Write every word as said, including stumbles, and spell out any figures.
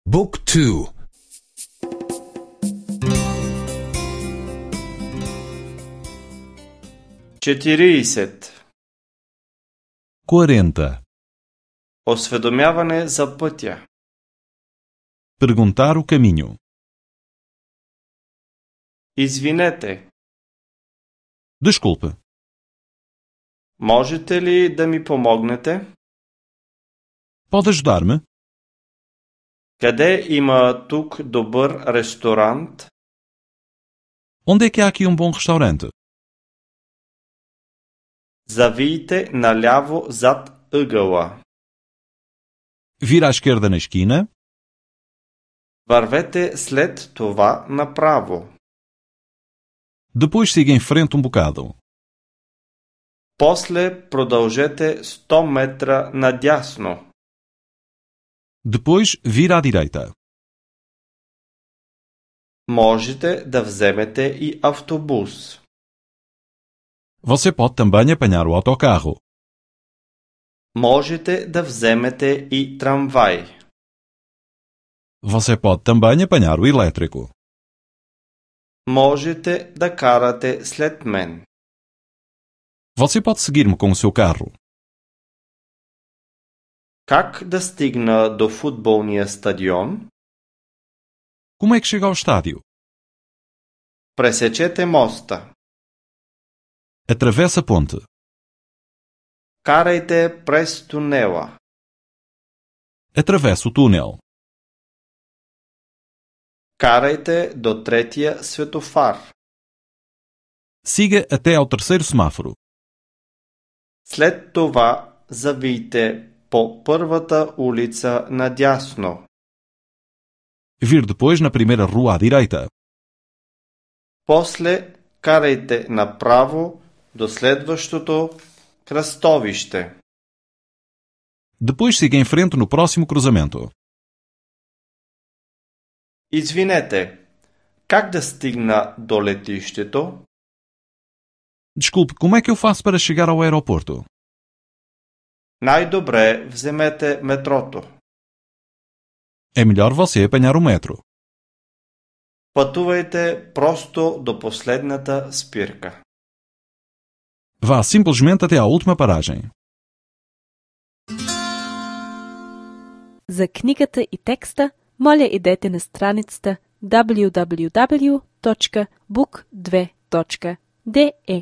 Book two. четириесет. quarenta. Осведомяване за пътя. Perguntar o caminho. Извинете, Desculpe, можете ли да ми помогнете? pode ajudar-me? Къде има тук добър ресторант? Onde é que há aqui um bom restaurante? Завийте наляво зад ъгъла. Vira à esquerda na esquina. Вървете след това направо. Depois siga em frente um bocado. После продължете сто метра надясно. Depois vira à direita. Можете да вземете и автобус. Você pode também apanhar o autocarro. Можете да вземете и трамвай. Você pode também apanhar o elétrico. Можете да карате след мен. Você pode seguir-me com o seu carro. Как да стигна до футболния стадион? Como é que chega ao estádio? Пресечете моста. Atravessa a ponte. Карайте през тунела. Atravessa o túnel. Карайте до третия светофар. Siga até ao terceiro semáforo. След това завийте по първата улица надясно. Vir depois na primeira rua à direita. После карайте направо до следващото кръстовище. Depois siga em frente no próximo cruzamento. Извинете, как да стигна до летището? Desculpe, como é que eu faço para chegar ao aeroporto? Най-добре вземете метрото. É melhor você apanhar o metro. Пътувайте просто до последната спирка. Vá simplesmente até à última paragem. За книгата и текста, моля идете на страницата дабљу дабљу дабљу точка бук две точка де е.